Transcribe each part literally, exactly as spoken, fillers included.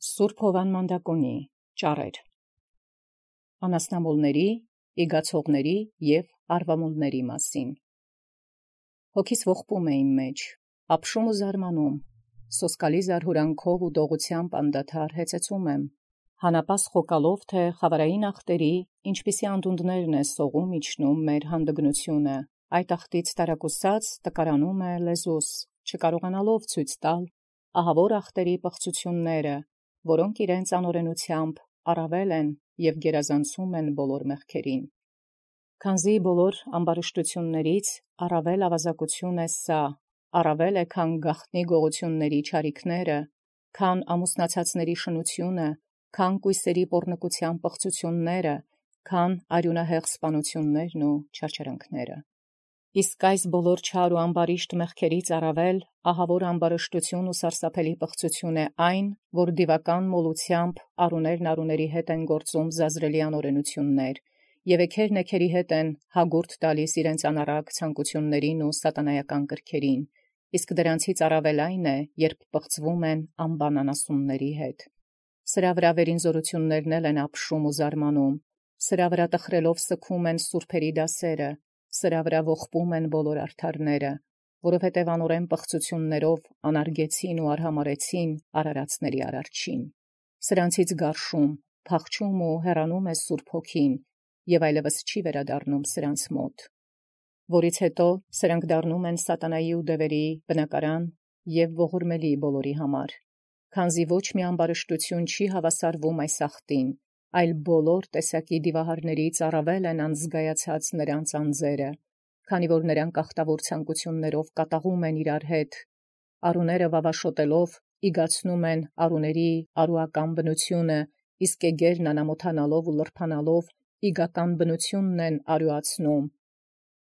Սուրբ Հովան Մանդակոնի ճառեր անասնամոլների, իգացողների և արվամոլների մասին։ Հոգիս ողբում է իմ մեջ, ապշում ու զարմանում, սոսկալի զարհուրանքով ու դողությամբ անդադար հեծեծում եմ, հանապաս խոկալով թե խավարային ախտերի, ինչպիսի անդունդներն է սողում իջնում մեր հանդգնությունը, այդ ախտից տարակուսած տկարանում է լեզուս, չկարողանալով ցույց տալ ահավոր ախտերի պղծությունները, որոնք իրենց անօրենությամբ առավել են և գերազանցում են բոլոր մեղքերին։ Քանզի բոլոր ամբարշտություններից առավել ավազակություն է սա, առավել է քան գաղտնի գողությունների չարիքները, քան ամուսնացածների շնությունը, քան կույսերի պոռնկության պղծությունները, քան արյունահեղ սպանություններն ու չարչարանքները։ Իսկ այս բոլոր չար ու ամբարիշտ մեղքերից առավել ահավոր ամբարշտություն ու սարսափելի պղծություն է այն, որ դիվական մոլությամբ առուներն առուների հետ են գործում զազրելի անօրենություններ, և էգերն էգերի հետ են հագուրդ տալիս իրենց անառակ ցանկություններին ու սատանայական կրքերին, իսկ դրանցից առավել այն է, երբ պղծվում են անբան անասունների հետ։ Սրա վրա վերինզորություններն էլ են ապշում ու զարմանում, սրա վրա տխրելով սգում են սուրբերի դասերը, սրա վրա ողբում են բոլոր արդարները, որովհետև անօրեն պղծություններով անարգեցին ու արհամարեցին արարածների արարչին։ Սրանցից գարշում, փախչում ու հեռանում է Սուրբ Հոգին, և այլևս չի վերադառնում սրանց մոտ, որից հետո սրանք դառնում են սատանայի ու դևերի բնակարան և ողորմելի բոլորի համար, քանզի ոչ մի ամբարշտություն չի հավասարվում այս ախտին, այլ բոլոր տեսակի դիվահարներից առավել են անզգայացած նրանց անձերը, քանի որ նրանք ախտավոր ցանկություններով կատաղում են իրար հետ, առուները վավաշոտելով իգացնում են առուների արուական բնությունը, իսկ էգերն անամոթանալով ու լրբանալով իգական բնությունն են արյուացնում։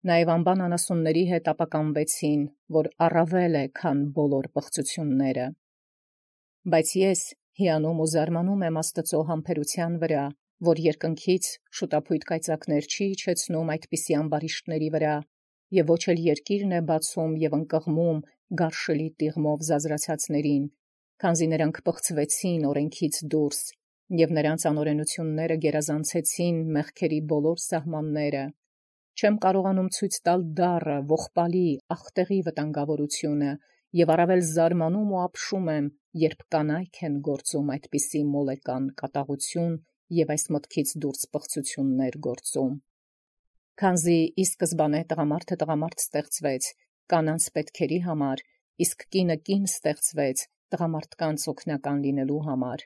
Նաև անբան անասունների հետ ապականվեցին, որ առավել է, քան բոլոր պղծությունները։ Բայց ես հիանում ու զարմանում եմ Աստծո համբերության վրա, որ երկնքից շուտափույթ կայծակներ չի իջեցնում այդպիսի ամբարիշտների վրա, և ոչ էլ երկիրն է բացում և ընկղմում գարշելի տիղմով զազրացածներին, քանզի նրանք պղծվեցին օրենքից դուրս, և նրանց անօրենությունները գերազանցեցին մեղքերի բոլոր սահմանները։ Չեմ կարողանում ցույց տալ դառը, ողբալի, ախտեղի վտանգավորությունը, և առավել զարմանում ու ապշում եմ, երբ կանայք են գործում այդպիսի մոլեկան կատաղություն և այս մտքից դուրս պղծություններ գործում։ Քանզի ի սկզբանե տղամարդը տղամարդ ստեղծվեց կանանց պետքերի համար, իսկ կինը կին ստեղծվեց տղամարդկանց օգնական լինելու համար,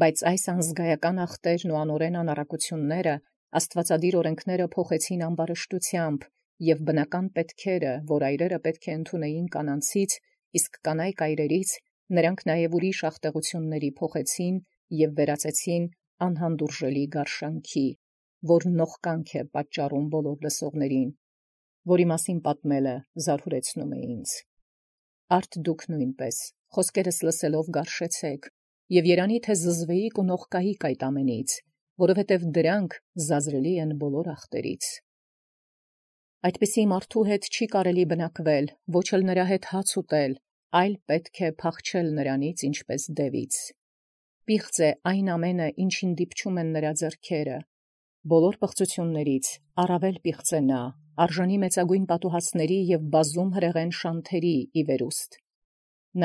բայց այս անզգայական ախտերն ու անօրեն անառակությունները աստվածադիր օրենքները փոխեցին ամբարշտությամբ, և բնական պետքերը, որ այրերը պետք է ընդունեին կանանցից, իսկ կանայք այրերից, նրանք նաև ուրիշ ախտեղությունների փոխեցին և վերածեցին անհանդուրժելի գարշանքի, որ նողկանք է պատճառում բոլոր լսողներին, որի մասին պատմելը զարհուրեցնում է ինձ։ Արդ դուք նույնպես, խոսքերս լսելով գարշեցեք, և երանի թե զզվեիք ու նողկայիք այդ ամենից, որովհետև դրանք զազրելի են բոլոր ախտերից։ Այդպիսի մարդու հետ չի կարելի բնակվել, ոչ էլ նրա հետ հաց ուտել, այլ պետք է փախչել նրանից ինչպես դևից։ Պիղծ է այն ամենը, ինչին դիպչում են նրա ձեռքերը։ Բոլոր պղծություններից առավել պիղծ է նա, արժանի մեծագույն պատուհասների և բազում հրեղեն շանթերի ի վերուստ։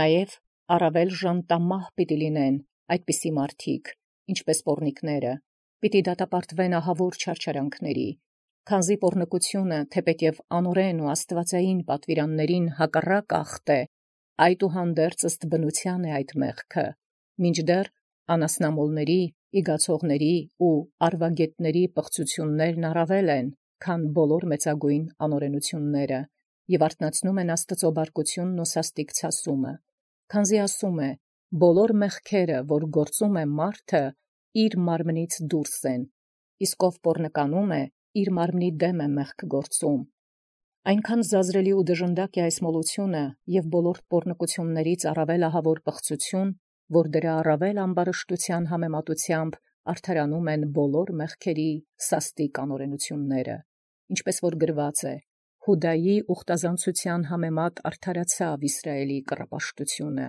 Նաև առավել ժանտամահ պիտի լինեն այդպիսի մարդիկ, ինչպես պոռնիկները, պիտի դատապարտվեն ահավոր չարչարանքների, քանզի պոռնկությունը, թեպետև անօրեն ու աստվածային պատվիրաններին հակառակ ախտ է, այդուհանդերձ ըստ բնության է այդ մեղքը, մինչդեռ անասնամոլների, իգացողների ու արվագետների պղծություններն առավել են, քան բոլոր մեծագույն անօրենությունները, և արթնացնում են Աստծո բարկությունն ու սաստիկ ցասումը, քանզի ասում է. «Բոլոր մեղքերը, որ գործում է մարդը, իր մարմնից դուրս են, իսկ ով պոռնականում է, իր մարմնի դեմ է մեղք գործում»։ Այնքան զազրելի ու դժնդակ է այս մոլությունը և բոլոր պոռնկություններից առավել ահավոր պղծություն, որ դրա առավել ամբարշտության համեմատությամբ արդարանում են բոլոր մեղքերի սաստիկ անօրենությունները, ինչպես որ գրված է. «Հուդայի ուխտազանցության համեմատ արդարացավ Իսրայելի կռապաշտությունը»։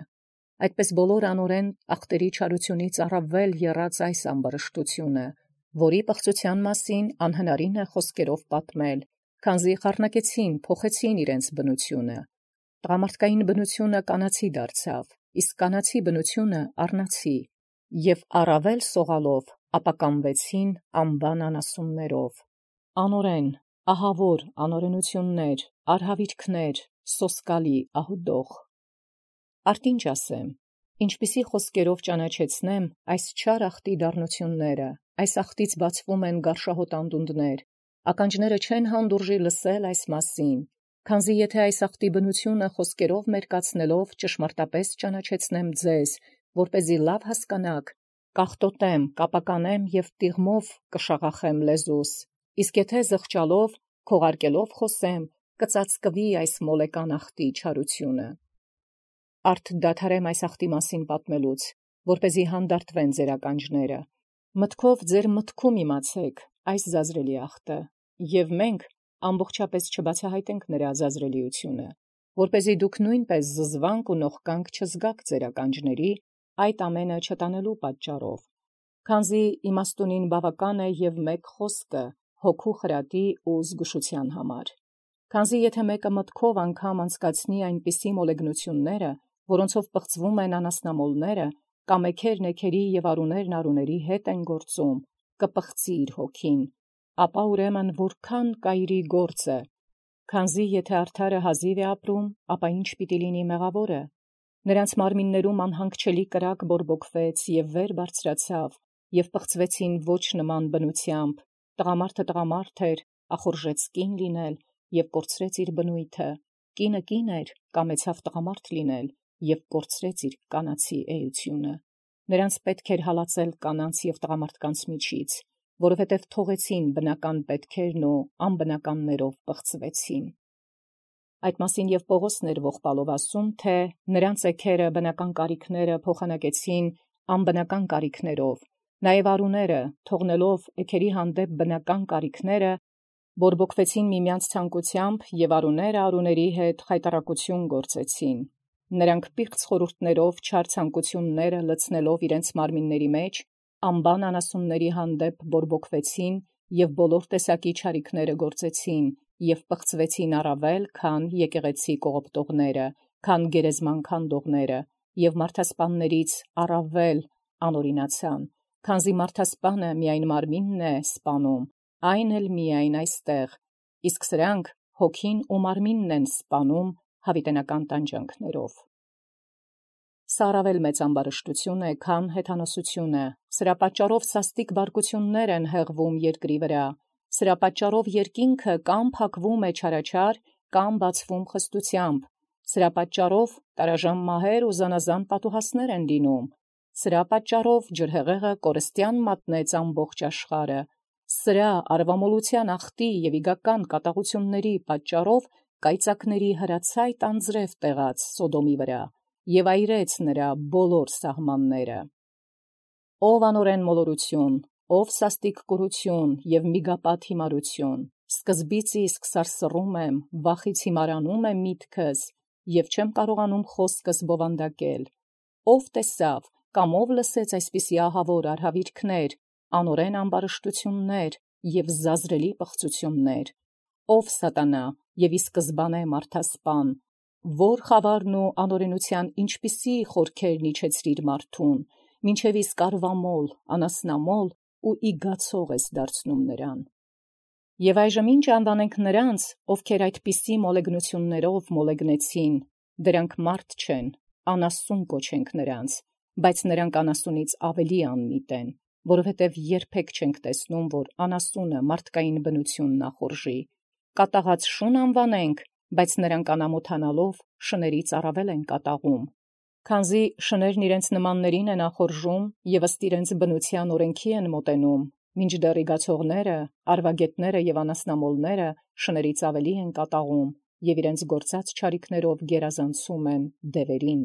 Այդպես բոլոր անօրեն ախտերի չարությունից առավել եռած այս ամբարշտությունը, որի պղծութեան մասին անհնարին է խոսքերով պատմել, քանզի խառնակեցին, փոխեցին իրենց բնությունը. տղամարդկային բնությունը կանացի դարձավ, իսկ կանացի բնությունը առնացի, եւ առավել սողալով ապականվեցին անբան անասուններով. անօրեն, ահավոր անօրենություններ, արհավիրքներ, սոսկալի ահուդոխ։ Արդ ինչ ասեմ, ինչպիսի խոսքերով ճանաչեցնեմ այս չար ախտի դառնությունները, այս ախտից բացվում են գարշահոտ անդունդներ, ականջները չեն հանդուրժի լսել այս մասին, քանզի եթե այս ախտի բնությունը խոսքերով մերկացնելով ճշմարտապես ճանաչեցնեմ ձեզ, որպեսզի լավ հասկանաք, կաղտոտեմ, կապականեմ եւ տիղմով կշաղախեմ լեզուս, իսկ եթե զղջալով, քողարկելով խոսեմ, կծածկվի այս մոլեկան ախտի չարությունը։ Արդ դադարեմ այս ախտի մասին պատմելուց, որպեսզի հանդարտվեն ձեր ականջները, մտքով ձեր մտքում իմացեք այս զազրելի ախտը, եւ մենք ամբողջապես չբացահայտենք նրա զազրելիությունը, որպեսզի դուք նույնպես զզվանք ու նողկանք չզգաք ձեր ականջների այդ ամենը չտանելու պատճառով, քանզի իմաստունին բավական է եւ մեկ խոսքը հոգու խրատի ու զգուշության համար, քանզի եթե մեկը մտքով անգամ անցկացնի այնպիսի մոլեգնությունները, որոնցով պղծվում են անասնամոլները, կամ էքերն էքերի եւ արուներն արուների հետ են գործում, կպղծի իր հոգին, ապա ուրեմն որքան կայրի գործը, քանզի եթե արդարը հազիվ է ապրում, ապա ինչ պիտի լինի մեղավորը, նրանց մարմիններում անհանգչելի կրակ բորբոքվեց եւ վեր բարձրացավ, եւ պղծվեցին ոչ նման բնությամբ, տղամարդը տղամարդ էր, ախորժեց կին լինել եւ կորցրեց իր բնույթը, կինը կին էր, կամեցավ տղամարդ լինել եւ կորցրեց իր կանացի էությունը, նրանց պետք էր հալածել կանանց եւ տղամարդկանց միջից, որովհետև թողեցին բնական պետքերն ու անբնականներով պղծվեցին։ Այդ մասին եւ Պողոսն էր ողբալով ասում, թե նրանց էքերը բնական կարիքները փոխանակեցին անբնական կարիքներով, նաեւ արուները թողնելով էքերի հանդեպ բնական կարիքները, բորբոքվեցին միմյանց ցանկությամբ եւ արուները արուների հետ խայտարակություն գործեցին։ Նրանք պիղծ խորհուրդներով չար ցանկությունները լցնելով իրենց մարմինների մեջ, անբան անասունների հանդեպ բորբոքվեցին եւ բոլոր տեսակի չարիքները գործեցին եւ պղծվեցին առավել, քան եկեղեցի կողոպտողները, քան գերեզման քանդողները եւ մարդասպաններից առավել անօրինացան, քանզի մարդասպանը միայն մարմինն է սպանում, այն էլ միայն այստեղ, իսկ սրանք հոգին ու մարմինն են սպանում հավիտենական տանջանքներով։ Սա առավել մեծ ամբարշտություն է, քան հեթանոսությունը, սրա պատճառով սաստիկ բարկություններ են հեղվում երկրի վրա, սրա պատճառով երկինքը կամ փակվում է չարաչար, կամ բացվում խստությամբ, սրա պատճառով տարաժան մահեր ու զանազան պատուհասներ են լինում, սրա պատճառով ջրհեղեղը կորստյան մատնեց ամբողջ աշխարհը, սրա արվամոլության ախտի եւ իգական կատաղությունների պատճառով կայծակների հրացայտ անձրև տեղաց Սոդոմի վրա եւ այրեց նրա բոլոր սահմանները։ Ով անօրեն մոլորություն, ով սաստիկ կուրություն եւ միգապատ հիմարություն, սկզբից իսկ սարսռում եմ, վախից հիմարանում եմ միտքս եւ չեմ կարողանում խոսքս բովանդակել, ով տեսավ կամ ով լսեց այսպիսի ահավոր արհավիրքներ, անօրեն ամբարշտություններ եւ զազրելի պղծություններ, ով սատանա եւ ի սկզբանե մարդասպան, որ խավարն ու անօրենության ինչպիսի խորքերն իջեցրիր մարդուն, մինչև իսկ արվամոլ, անասնամոլ ու իգացող ես դարձնում նրան։ Եվ այժմ ինչ անվանենք նրանց, ովքեր այդպիսի մոլեգնություններով մոլեգնեցին, դրանք մարդ չեն, անասուն կոչենք նրանց, բայց նրանք անասունից ավելի անմիտ են, որովհետև երբեք չենք տեսնում, որ անասունը մարդկային բնությունն ախորժի։ Կատաղած շուն անվանենք, բայց նրանք անամոթանալով շներից առավել են կատաղում, քանզի շներն իրենց նմաններին են ախորժում եւ ըստ իրենց բնության օրենքի են մոտենում, մինչդեռ իգացողները, արվագետները եւ անասնամոլները շներից ավելի են կատաղում եւ իրենց գործած չարիքներով գերազանցում են դևերին։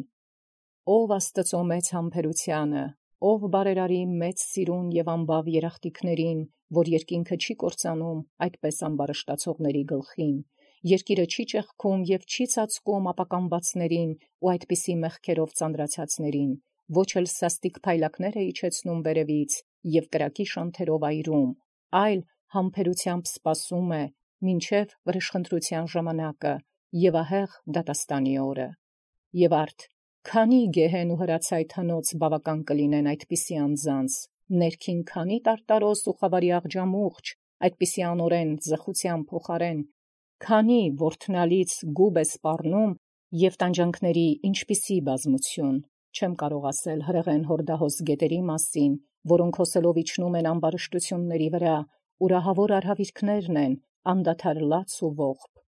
Ով Աստծո մեծ համբերությանը, ով բարերարի մեծ սիրուն եւ անբավ երախտիկներին, որ երկինքը չի կործանում այդպես ամբարշտացողների գլխին, երկիրը չի ճեղքում և չի ծածկում ապականվածներին ու այդպիսի մեղքերով ծանրացածներին, ոչ էլ սաստիկ փայլակներ է իջեցնում վերևից և կրակի շանթերով այրում, այլ համբերությամբ սպասում է, մինչև վրեժխնդրության ժամանակը և ահեղ դատաստանի օրը։ Եվ արդ, քանի գեհեն ու հրացայտ հնոց բավական կլինեն այդպիսի անձանց, ներքին քանի տարտարոս ու խավարի աղջամուղջ, այդպիսի անօրեն ձխության փոխարեն, քանի որդնալից գուբ է սպառնում և տանջանքների ինչպիսի բազմություն, չեմ կարող ասել հրեղեն հորդահոս գետերի մասին, որոնք հոսելով իջնում են ամբարշտությունների վրա, ուրահավոր արհավիրքներն են, անդադար լաց ու ողբ։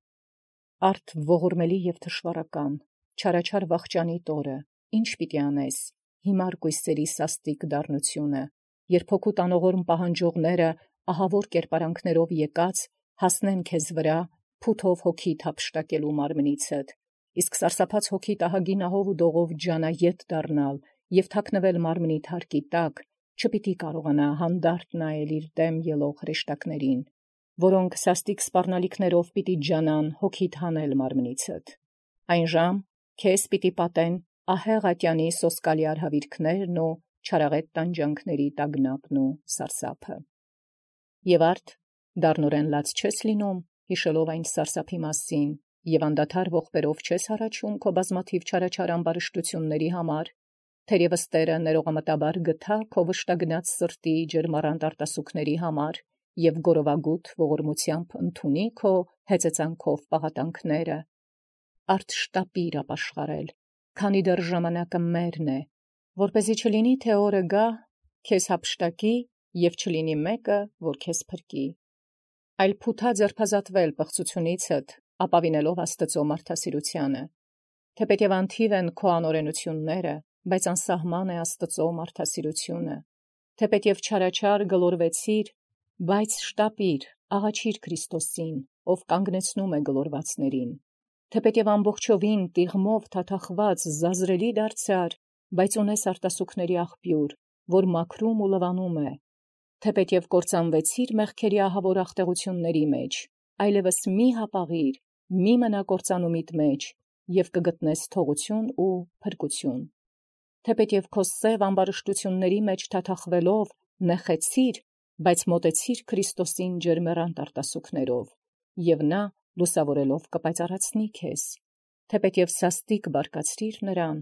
Արդ ողորմելի և թշվառական, չարաչար վախճանի տորը, ինչ պիտի անես, հիմար կույսերի սաստիկ դառնությունը, երբ հոգու տանողորմ պահանջողները ահավոր կերպարանքներով եկած հասնեն քեզ վրա, փութով հոգիդ հափշտակելու մարմնիցդ, իսկ սարսափած հոգիդ ահագին ահով ու դողով ջանայետ դառնալ և թաքնվել մարմնի թարկի տակ, չպիտի կարողանա հանդարտ նայել իր դեմ ելող հրեշտակներին, որոնք սաստիկ սպառնալիքներով պիտի ջանան հոգիդ հանել մարմնիցդ։ Այն ժամ քեզ պիտի պատեն ահեղ ատյանի սոսկալի արհավիրքներն ու չարաղետ տանջանքների տագնապն ու սարսափը։ Եվ արդ դառնորեն լաց չես լինում, հիշելով այն սարսափի մասին, և անդադար ողբերով չես հառաչում քո բազմաթիվ չարաչար ամբարշտությունների համար, թերևս Տերը ներողամտաբար գթա քո վշտագնաց սրտի ջերմառանտ արտասուքների համար և գորովագութ ողորմությամբ ընդունի քո հեծեծանքով պաղատանքները։ Արդ շտապիր ապաշխարել, քանի դեռ ժամանակը մերն է, որպեսզի չլինի, թե օրը գա, քեզ հափշտակի և չլինի մեկը, որ քեզ փրկի, այլ փութա ձերբազատվել պղծությունիցդ, ապավինելով Աստծո մարդասիրությանը, թեպետև անթիվ են քո անօրենությունները, բայց անսահման է Աստծո մարդասիրությունը, թեպետև չարաչար գլորվեցիր, բայց շտապիր, աղաչիր Քրիստոսին, ով կանգնեցնում է գլորվածներին, թեպետև ամբողջովին տիղմով թաթախված զազրելի դարձար, բայց ունես արտասուքների աղբյուր, որ մաքրում ու լվանում է, թեպետև կործանվեցիր մեղքերի ահավոր աղտեղությունների մեջ, այլևս մի հապաղիր, մի մնա կործանումիդ մեջ և կգտնես թողություն ու փրկություն, թեպետև քո սև ամբարշտությունների մեջ թաթախվելով նեխեցիր, բայց մոտեցիր Քրիստոսին ջերմեռանդ արտասուքներով, և նա լուսավորելով կպայծառացնի քեզ, թեպետև սաստիկ բարկացրիր նրան,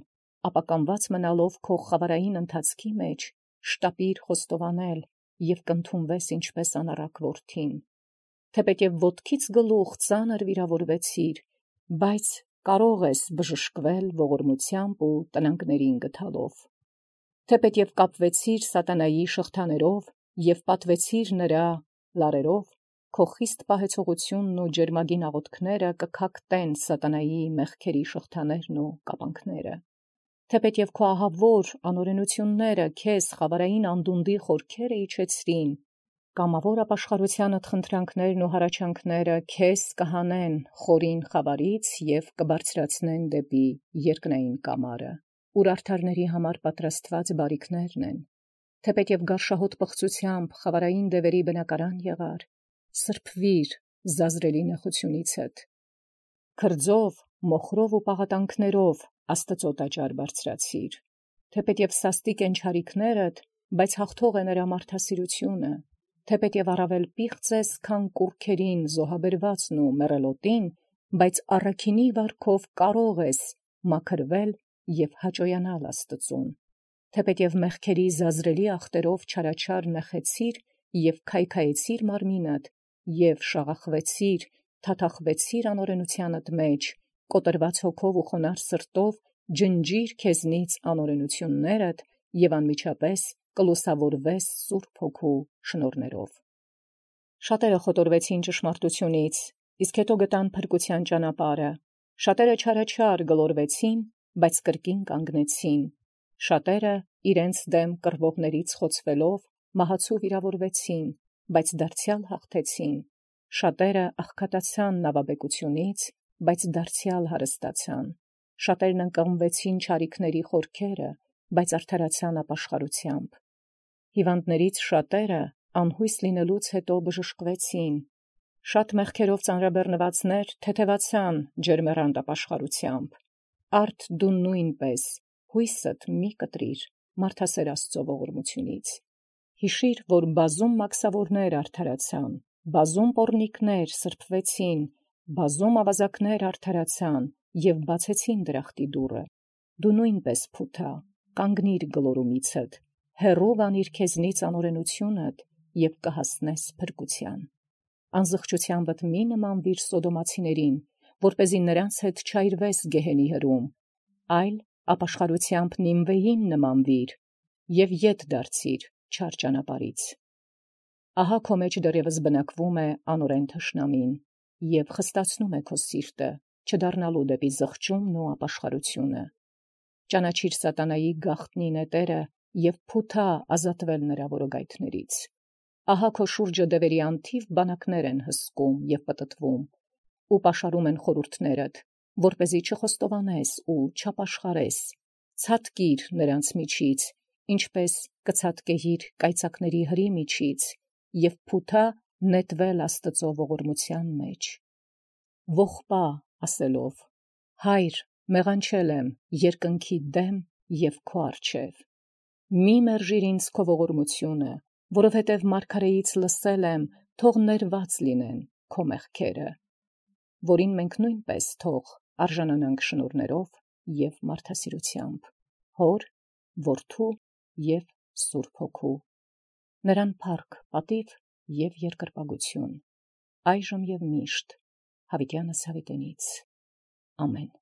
ապականված մնալով քո խավարային ընթացքի մեջ, շտապիր խոստովանել և կընդունվես ինչպես անառակ որդին, թեպետև ոտքից գլուխ ծանր վիրավորվեցիր, բայց կարող ես բժշկվել ողորմությամբ ու տնանքներին գթալով, թեպետև կապվեցիր սատանայի շղթաներով և պատվեցիր նրա լարերով, քո խիստ պահեցողությունն ու ջերմագին աղոթքները կքակտեն սատանայի մեղքերի շղթաներն ու կապանքները, թեպետև քո ահավոր անօրենությունները քեզ խավարային անդունդի խորքերը իջեցրին, կամավոր ապաշխարությանդ խնդրանքներն ու հառաչանքները քեզ կհանեն խորին խավարից և կբարձրացնեն դեպի երկնային կամարը, ուր արդարների համար պատրաստված բարիքներն են, թեպետև գարշահոտ պղծությամբ խավարային դևերի բնակարան եղար, սրբվիր զազրելի նեխությունիցդ, քրձով, մոխրով ու պաղատանքներով Աստծո տաճար բարձրացիր, թեպետև սաստիկ են չարիքներդ, բայց հաղթող է նրա մարդասիրությունը, թեպետև առավել պիղծ ես, քան կուռքերին զոհաբերվածն ու մեռելոտին, բայց առաքինի վարքով կարող ես մաքրվել և հաճոյանալ Աստծուն, թեպետև մեղքերի զազրելի ախտերով չարաչար նեխեցիր և քայքայեցիր մարմինդ և շաղախվեցիր, թաթախվեցիր անօրենությանդ մեջ, կոտրված հոգով ու խոնարհ սրտով ջնջիր քեզնից անօրենություններդ և անմիջապես կլուսավորվես Սուրբ Հոգու շնորհներով։ Շատերը խոտորվեցին ճշմարտությունից, իսկ հետո գտան փրկության ճանապարհը, շատերը չարաչար գլորվեցին, բայց կրկին կանգնեցին, շատերը իրենց դեմ կռվողներից խոցվելով մահացու վիրավորվեցին, բայց դարձյալ հաղթեցին, շատերը աղքատացան նավաբեկությունից, բայց դարձյալ հարստացան, շատերն ընկղմվեցին չարիքների խորքերը, բայց արդարացան ապաշխարությամբ, հիվանդներից շատերը անհույս լինելուց հետո բժշկվեցին, Շատ մեղքերով ծանրաբեռնվածներ թեթևացան ջերմեռանդ ապաշխարությամբ, արդ դու նույնպես հույսդ մի կտրիր մարդասեր Աստծո ողորմությունից։ Հիշիր, որ բազում մաքսավորներ արդարացան, բազում պոռնիկներ սրբվեցին, բազում ավազակներ արդարացան և բացեցին դրախտի դուռը։ Դու նույնպես փութա, կանգնիր գլորումիցդ, հեռու անիր քեզնից անօրենությունդ և կհասնես փրկության։ Անզղջությանդ մի նմանվիր սոդոմացիներին, որպեսզի նրանց հետ չայրվես գեհենի հրում, այլ ապաշխարությանդ Նինվեին նմանվիր և ետ դարձիր չար ճանապարհից։ Ահա քո մեջ դեռևս բնակվում է անօրեն թշնամին և խստացնում է քո սիրտը, չդառնալու դեպի զղջումն ու ապաշխարությունը։ Ճանաչիր սատանայի գաղտնի նետերը և փութա ազատվել նրա որոգայթներից։ Ահա քո շուրջը դևերի անթիվ բանակներ են հսկում և պտտվում, ու պաշարում են խորհուրդներդ, որպեսզի չխոստովանես ու չապաշխարես, ցատկիր նրանց միջից, ինչպես կցատկեհիր կայծակների հրի միջից, և փութա նետվել Աստծո ողորմության մեջ։ Ողբա ասելով. «Հայր, մեղանչել եմ երկնքի դեմ և քո առջև։ Մի մերժիր ինձ քո ողորմությունը, որովհետև մարգարեից լսել եմ, թող ներված լինեն քո մեղքերը, որին մենք նույնպես թող արժանանանք շնորհներով և մարդասիրությամբ, Հոր, Որդու և Սուրբ Հոգու։ Նրան փառք, պատիվ և երկրպագություն, այժմ և միշտ, հավիտյանս հավիտենից։ Ամեն։